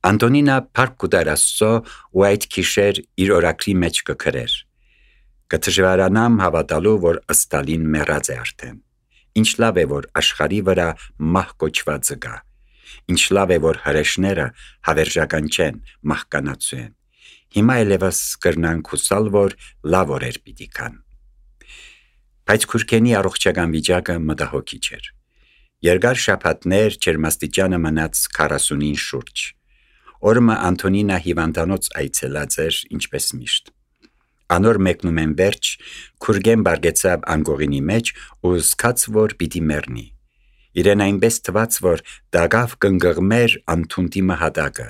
Անտոնինա փառք կուտար Աստծո ու այդ գիշեր իր օրակրի մեջ կգրեր. «Կդժվարանամ հավատալու, որ Ստալին մեռած է արդեն։ Ինչ լավ է, որ աշխարհի վրա մահ կոչվածը գա։ Ինչ լավ է, որ հրեշները հավերժական չեն, մահկանացու են։ Հիմա ելևս կրնանք հուսալ, որ լավ օրեր պիտի գան»։ Բայց քուրքենի առողջական վիճակը մտահոգիչ էր։ Երկար շաբաթներ ջերմաստիճանը մնաց 40-ին շուրջ։ Օրը Անտոնինա հիվանդանոց այցելած էր, ինչպես միշտ։ Անոր մեկնումեն վերջ քուրգեն բարգեցավ անգողինի մեջ ու զգաց, որ պիտի մեռնի։ Իրեն այնպես թվաց, որ դագավ կնգղմեր անթունտի մահատակը։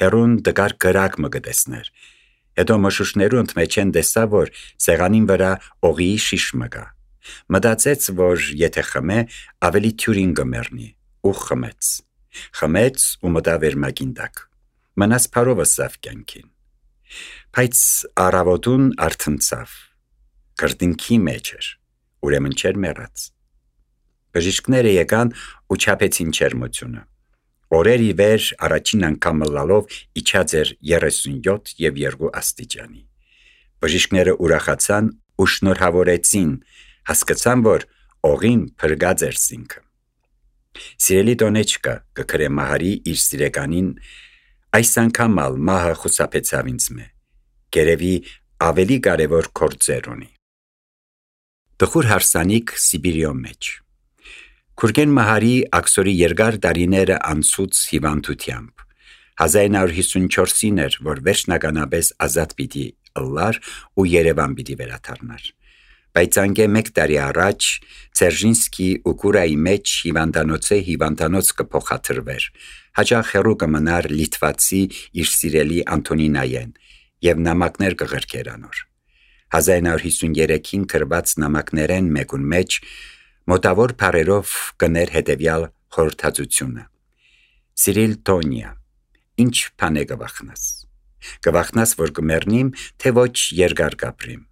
Հերուն դգար գրակ մը գտեսներ։ Հետո մշուշներու ընդմեջեն տեսա, որ սեղանին վրա օղիի շիշ մը կա։ Մտածեց, որ եթե խմե, ավելի թյուրին կմեռնի, ու խմեց ու մտավ էր մագին տակ։ Մնաց փարովը սավ կյանքին։ Բայց առավոտուն արթնցավ։ Կրտինքի մեջ էր, ուրեմն չէր մեռած։ Բժիշկները եկան ու չափեցին ջերմությունը։ Օրեր ի վեր առաջին անգամ լալով իջած էր 37 եւ 2 աստիճանի։ Բժիշկները ուրախացան ու շնորհավորեցին, հասկացան, որ օղին փրկած էր զինքը։ Սիրելի տոնեչկա, կգրե Մահարի իր սիրեկանին, այս անգամ մահը խուսափեցավ ինձ մե։ Գերևի ավելի կարևոր գործեր ունի։ Տխուր հարսանիք Սիբիրիո մեջ։ Քուրգեն Մահարի աքսորի երկար տարիները անցուց հիվանդությամբ։ 1954-ին էր, որ վերջնականապես ազատ պիտի ըլլար ու Երևան պիտի վերադառնար։ Բայց անգե մեկ տարի առաջ Ցերժինսկի ու Կուրայի մեջ հիվանդանոց կփոխադրվեր։ Հաճախ հեռու կմնար լիտվացի իր սիրելի Անտոնինայեն եւ նամակներ կղրկեր անոր։ 1953-ին գրված նամակներեն մեկուն մեջ մոտավոր բառերով կներ հետևյալ խորհրդածությունը. Սիրիլ Տոնիա, ինչ բան է գվախնաս։ Գվախնաս, որ կմեռնիմ, թե ոչ երկար կապրիմ։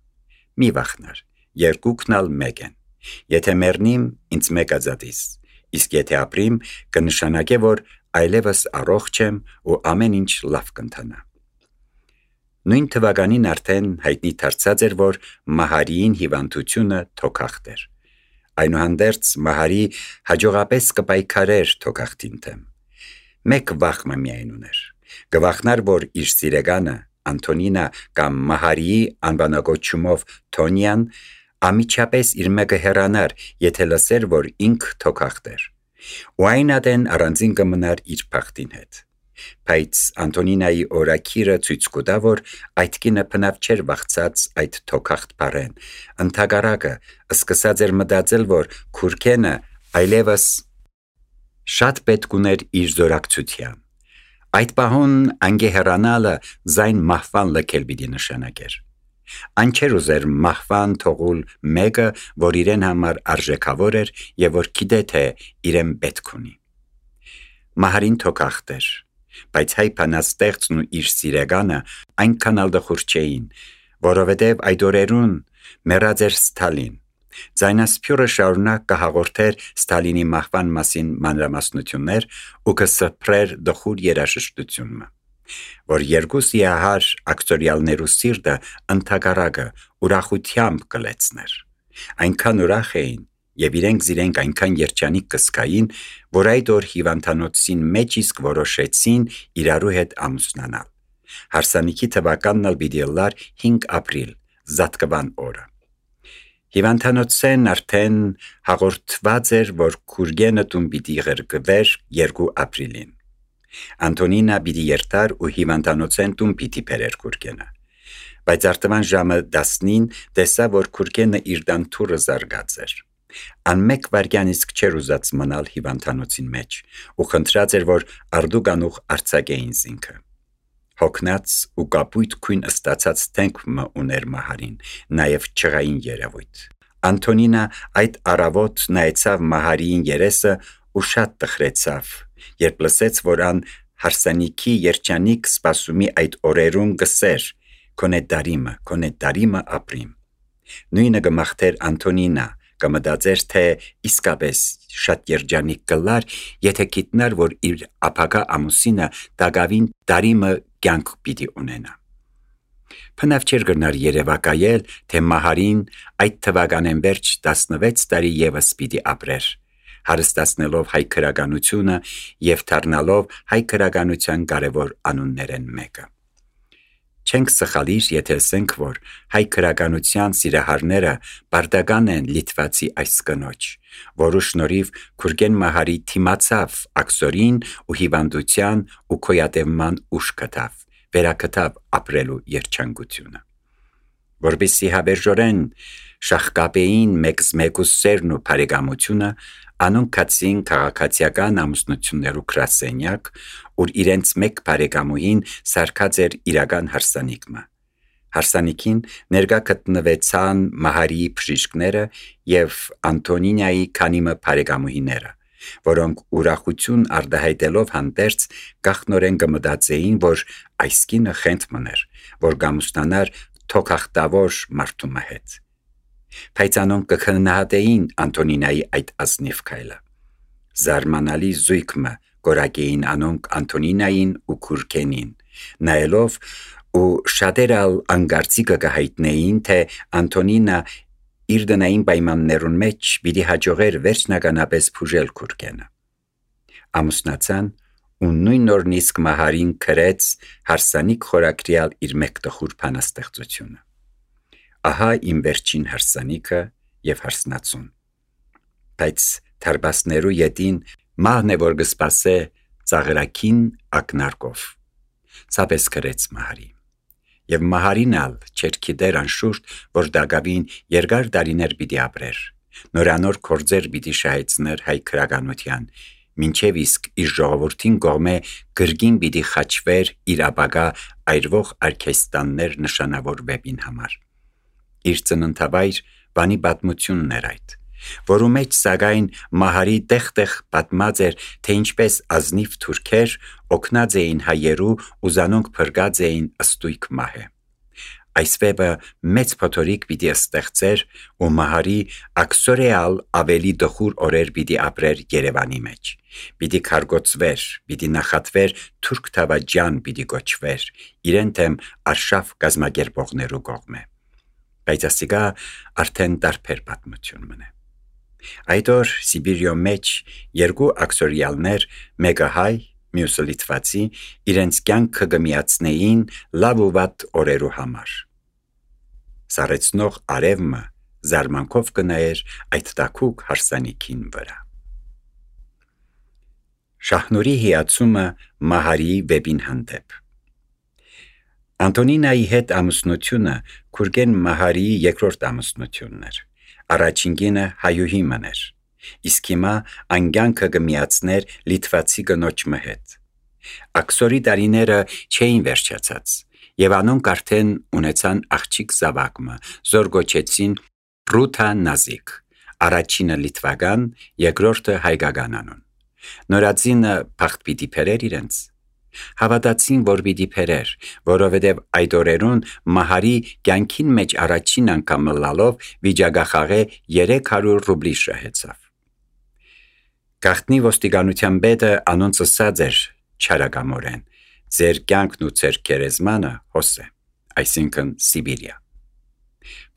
Մի վախնար, երկուքնալ մեկ են։ Եթե մեռնիմ, ինձ մեկ ազատիս, իսկ եթե ապրիմ, կնշանակե, որ այլևս առողջ եմ ու ամեն ինչ լավ կընթանա։ Նույն թվականին արդեն հայտնի դարձած էր, որ Մահարիին հիվանդությունը թոքախտ էր։ Այնուհանդերձ Մահարի հաջողապես կպայքարեր թոքախտին դեմ։ Մեկ վախը միայն ուներ։ Գվախնար, որ իր սիրեգանը Անտոնինա կամ Մահարիի անվանակոչումով Թոնյան ամիջապես իր մեկը հեռանար, եթե լսեր, որ ինք թոքախտ էր։ Ու այն ադեն առանձին կմնար իր փախտին հետ։ Բայց Անտոնինայի օրակիրը ցույց կտա, որ այդ կինը բնավ չէր վախցած այդ թոքախտ բառեն։ Ընդհակառակը սկսած էր մտածել, որ քուրքենը այլևս շատ պետք ուներ իր զորակցության։ Այդ պահուն անգե հեռանալը զայն մահվան լքել պիտի նշանակեր։ Այն չէր ուզեր մահվան թողուլ մեկը, որ իրեն համար արժեքավոր էր եւ որ գիտե թե իրեն պետք ունի։ Մահարին թոքախտ էր, բայց հայ բանաստեղծն ու իր սիրեգանը այնքան ալ դխուր չէին, որովհետև այդ օրերուն մեռած էր Ստալին։ Ձայնասփյուրը շարունակ կհաղորդեր Ստալինի մահվան մասին մանրամասնություններ ու կսփռեր դխուր երաժշտությունը, որ երկու սիահար ակտորիալներու սիրտը ընդհակառակը ուրախությամբ կլեցներ։ Այնքան ուրախ էին եւ իրենք այնքան երջանիկ կսկային, որ այդ օր հիվանդանոցին մեջ իսկ որոշեցին իրարու հետ ամուսնանալ։ Հարսանիքի թվականն ալ պիտի լար 5 ապրիլ, Զատկվան օրը։ Հիվանդանոցեն արդեն հաղորդված էր, որ քուրգենը տուն պիտի ղրկվեր 2 ապրիլին։ Անտոնինա պիտի երթար ու հիվանդանոցեն տուն պիտի բերեր քուրգենը։ Բայց արտվան ժամը 10-ին տեսա, որ քուրգենը իր դանթուրը զարգած էր։ Անմեկ վարյան իսկ չէր ուզած մնալ հիվանդանոցին մեջ ու խնդրած էր, որ արդուկանուղ արձակեին զինքը։ Հոգնած ու կապույտ քույն ստացած թենք մը ուներ Մահարին, նաև չղային երևույթ։ Անտոնինա այդ առավոտ նայեցավ Մահարիին երեսը ու շատ տխրեցավ, երբ լսեց, որ ան հարսանիքի երջանիկ սպասումի այդ օրերուն գսեր. «Քոնե դարիմը ապրիմ»։ Նույնը գմախտեր Անտոնինա, կմտածեր, թե իսկապես շատ երջանիկ կլար, եթե գիտնար, որ իր ապագա ամուսինը տակավին տարիմը կյանք պիտի ունենա։ Փնավ չէր գնար երևակայել, թե Մահարին այդ թվականեն վերջ 16 տարի ևս պիտի ապրեր, հարստացնելով հայ քրագանությունը և դառնալով հայ քրագանության կարևոր անուններեն մեկը։ Չենք սխալիր, եթե ասենք, որ հայ քրագանության սիրահարները պարտական են լիտվացի այս կնոջ, որու շնորհիվ Գուրգեն Մահարի թիմացավ աքսորին ու հիվանդության ու քոյատևման ուժ գտավ, վերակտավ ապրելու երջանկությունը։ Որպեսզի հավերժորեն շահկապեին մեկ սերն ու բարեկամությունը, անոնք գացին քաղաքացիական ամուսնություններու գրասենյակ, ուր իրենց մեկ բարեկամուհին սարքած էր իրական հարսանիքը։ Հարսանիքին ներկա գտնվեցան Մահարիի բժիշկները և Անտոնինիայի քանիմը բարեկամուհիները, որոնք ուրախություն արտահայտելով հանդերձ գախնորեն կմտածեին, որ այս կինը խենթ մներ, որ կամուսնանար թոքախտավոր մարդու հետ։ Բայց անոնք կքննադատեին Անտոնինիայի այդ ազնիվ քայլը։ Զարմանալի զույգը կորակեին անոնք Անտոնինիային ու Գուրգենին, նայելով ու շատերը անգարցիկը կհայտնեին, թե Անտոնինը իր դնային պայմաններուն մեջ պիտի հաջողեր վերջնականապես բուժել Գուրգենը։ Ամուսնացան ու նույն օրն իսկ Մահարին գրեց հարսանիք խորագրյալ իր մեկ տխուր բանաստեղծությունը։ Ահա իմ վերջին հարսանիքը և հարսնացուն։ Բայց թարբասներու ետին մահն է, որ կսպասե ծաղրակին ակնարկով։ Սապես գրեց Մահարի։ Եվ Մահարին ալ չէր գիտեր անշուշտ, որ դակավին երկար տարիներ պիտի ապրեր, նորանոր գործեր պիտի շահեցներ հայ քրագանության, մինչև իսկ իր ժողովրդին կողմէ գրգին պիտի խաչվեր իր ապագա այրվող արքեստաններ նշանավորվեին համար։ Իր ծննդավայր բանի պատմությունն էր այդ, որու մեջ սակայն Մահարի տեղ-տեղ պատմած էր, թե ինչպես ազնիվ թուրքեր օգնած էին հայերու ու զանոնք փրկած էին ըստույք մահե։ Այս վեպը մեծ փոթորիկ պիտի ստեղծեր ու Մահարի աքսորեալ ավելի դխուր օրեր պիտի ապրեր Երևանի մեջ, պիտի քարգոցվեր, պիտի նախատվեր թուրք թավաջան պիտի գոչվեր, իրեն թեմ արշավ կազմակերպողներու կողմէ։ Բայց ասիկա արդեն տարբեր պատմություն մնե։ Այդ օր Սիբիրյո մեջ երկու աքսորիալներ, մեկը հայ, մյուսը լիտվացի, իրենց կյանքը կմիացնեին լավ ու վատ օրերու համար։ Սառեցնող արևը զարմանքով կնայեր այդ տաքուկ հարսանիքին վրա։ Շահնուրի հիացումը Մահարիի վեպին հանդեպ։ Անտոնինայի հետ ամուսնությունը Գուրգեն Մահարիի երկրորդ ամուսնությունն էր։ Առաջին կինը հայուհի մներ, իսկ հիմա անկյանքը կմիացներ լիտվացի կնոջը հետ։ Աքսորի տարիները չէին վերջացած, եւ անոնք արդեն ունեցան աղջիկ զավակը, զոր գոչեցին Ռութա Նազիկ, առաջինը լիտվական, երկրորդը հայկական անուն։ Նորածինը փախտ պիտի բերեր իրենց։ Հավատացին, որ պիտի բերեր, որովհետև այդ օրերուն Մահարի կյանքին մեջ առաջին անգամ լալով վիճակախաղե 300 ռուբլի շահեցավ։ Գախտնի ոստիկանության պետը անոնց ասած էր չարագամորեն. ձեր կյանքն ու ձեր գերեզմանը հոս է, այսինքն Սիբիրիա։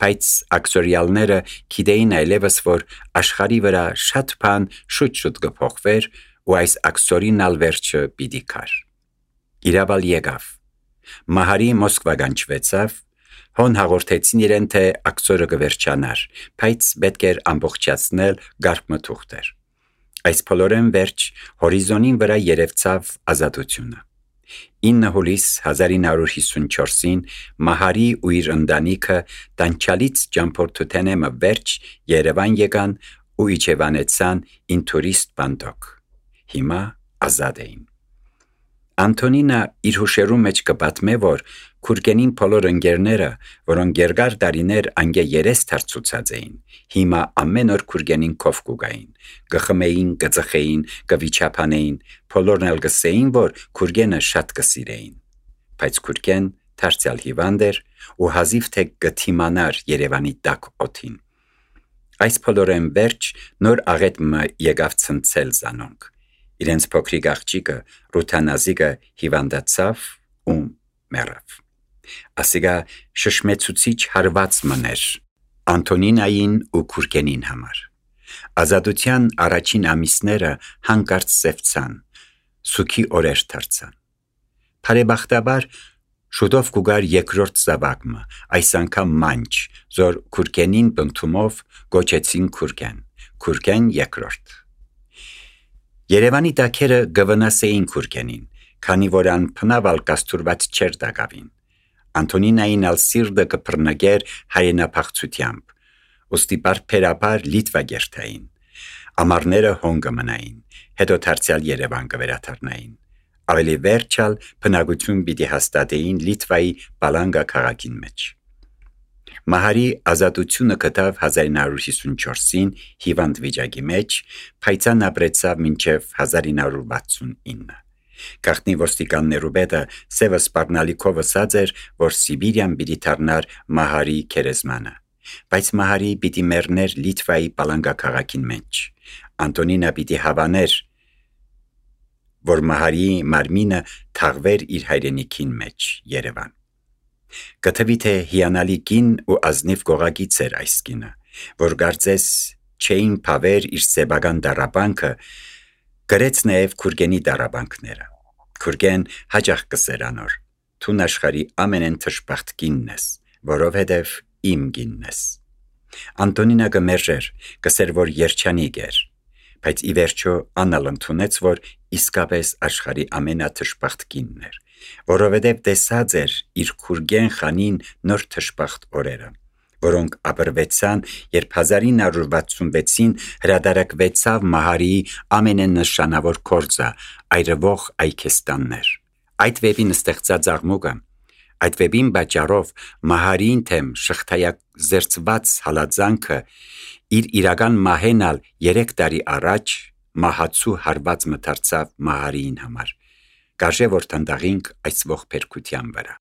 Բայց աքսորիալները գիտեին այլևս, որ աշխարհի վրա շատ բան շուտ կփոխվեր ու այս աքսորին ալ վերջը պիտի գար։ Իրավալ եկավ։ Մահարի Մոսկվա գանչվեցավ, հոն հաղորդեցին իրեն, թե աքսորը կվերջանար, բայց պետք էր ամբողջացնել գարբմթուղթեր։ Այս փոլորեն վերջ հորիզոնին վրա երևցավ ազատությունը։ 9 հուլիս 1954-ին Մահարի ու իր ընտանիքը տանչալից ճամփորդութենեմը վերջ Երևան եկան ու իջևանեցան ինտուրիստ բանդոկ։ Հիմա ազատ էին։ Անտոնինը իր հուշերու մեջ կպատմե, որ Գուրգենին բոլոր ընկերները, որոնք երկար տարիներ անգե երես դարձուցած էին, հիմա ամեն օր Գուրգենին քով կուգային, կխմեին, կծխեին, կվիճապանեին, բոլորն էլ կսեին, որ Գուրգենը շատ կսիրեին։ Բայց Գուրգեն դարձյալ հիվանդ էր ու հազիվ թե կթիմանար Երևանի տաք օդին։ Այս փոլորեն վերջ նոր աղետը եկավ ցնցել զանոնք։ Իրենց փոքրիկ աղջիկը Ռութանազիկը հիվանդացավ ու մեռավ։ Ասիկա շշմեցուցիչ հարված մներ Անտոնինային ու Քուրգենին համար։ Ազատության առաջին ամիսները հանկարծ սևցան, սուքի օրեր դարձան։ Բարեբախտաբար շուտով կուգար երկրորդ զավակը, այս անգամ մանչ, զոր Քուրգենին բնթումով գոչեցին Քուրգեն երկրորդ։ Երևանի տակերը գվնասեին Քուրգենին, քանի որ ան փնավալ կաստուրված չեր դակավին։ Անտոնինային ալ սիրտը կփռնգեր հայենափախցությամբ, ուստի բարբերաբար Լիտվա գերտային։ Ամառները հոնգը մնային, հետո դարձյալ Երևան կվերադառնային։ Ավելի վերջալ բնակություն պիտի հաստատեին Լիտվայի Պալանգա քաղաքին մեջ։ Մահարի ազատությունը գտավ 1954-ին հիվանդ վիճակի մեջ, փայծան ապրեցավ մինչև 1969։ Գաղտնի ոստիկաններու պետը Սևը Սպառնալիքով ասաց էր, որ Սիբիրիան պիտի դառնար Մահարի քերեզմանը, բայց Մահարի պիտի մեռներ Լիտվայի Պալանգա քաղաքին մեջ։ Անտոնինա պիտի հավաներ, որ Մահարի մարմինը թաղվեր իր հայրենիքին մեջ Երևան։ Կթվի թե հիանալի կին ու ազնիվ գողագից էր այս կինը, որ կարծես չէին փավեր իր սեբական դարաբանքը, գրեց նաև Քուրգենի դարաբանքները։ Քուրգեն հաճախ կսեր անոր, թուն աշխարի ամենեն թշպախտ կինն ես, որովհետև իմ կինն ես։ Անտոնինա կմերժեր, կսեր որ երջանիկ էր, բայց ի վերջո անալ ընդունեց, որ իսկապես աշխարի ամենաթշպախտ կինն էր, որովհետև տեսած էր իր Քուրգեն խանին նոր թշպախտ օրերը, որոնք ապրվեցան, երբ 1966-ին հրադարակվեցավ Մահարիի ամենանշանավոր գործը այրվող այքեստաններ։ Այդ վեպին ստեղծած աղմուկը, այդ վեպին պատճառով Մահարիին թեմ շղթայազերծված հալածանքը իր իրական մահենալ 3 տարի առաջ մահացու հարված մտարցավ Մահարիին համար։ Կարժե որ տնտաղինք այս ողբերգության վրա։